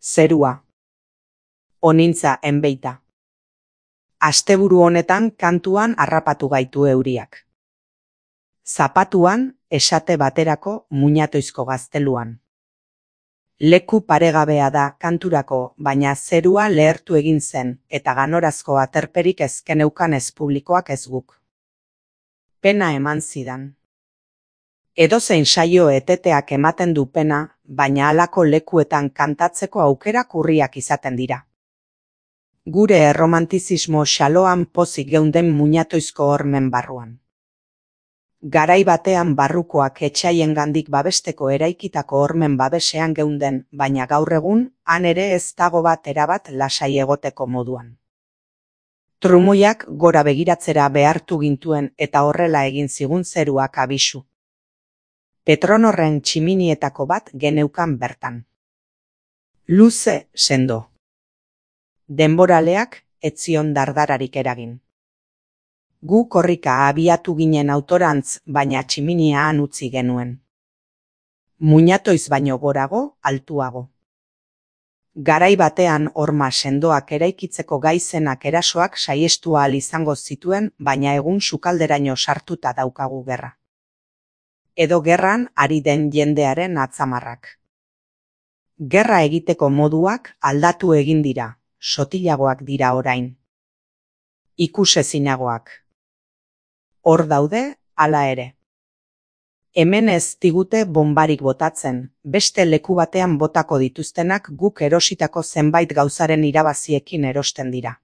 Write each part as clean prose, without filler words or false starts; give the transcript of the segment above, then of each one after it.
Zerua. Onintza enbeita. Asteburu honetan kantuan harrapatu gaitu euriak. Zapatuan, esate baterako muñatoizko gazteluan. Leku paregabea da kanturako, baina zerua lehertu egin zen, eta ganorazko aterperik ez geneukan ez publikoak ez guk. Pena eman zidan. Edozein saio eteteak ematen du pena, baina halako lekuetan kantatzeko aukerak urriak izaten dira. Gure erromantizismo xaloan pozik geunden muñatoizko hormen barruan. Garai batean barrukoak etsaiengandik babesteko eraikitako hormen babesean geunden, baina gaur egun, han ere ez dago bat erabat lasai egoteko moduan. Trumoiak gora begiratzera behartu gintuen eta horrela egin zigun zeruak abisu. Petronorren tximinietako bat geneukan bertan. Luze sendo. Denboraleak ez zion dardararik eragin. Gu korrika abiatu ginen autorantz, baina tximinia han utzi genuen. Muñatoiz baino gorago, altuago. Garai batean horma sendoak eraikitzeko gaizenak erasoak saiestu ahal izango zituen, baina egun sukalderaino sartuta daukagu gerra. Edo gerran ari den jendearen atzamarrak. Gerra egiteko moduak aldatu egin dira, sotilagoak dira orain. Ikusezinagoak. Hor daude, hala ere. Hemen ez digute bonbarik botatzen, beste leku batean botako dituztenak guk erositako zenbait gauzaren irabaziekin erosten dira.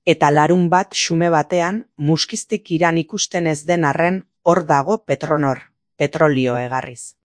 Eta larun bat xume batean, muskiztik iran ikusten ez den arren, hor dago Petronor, petrolio egarriz.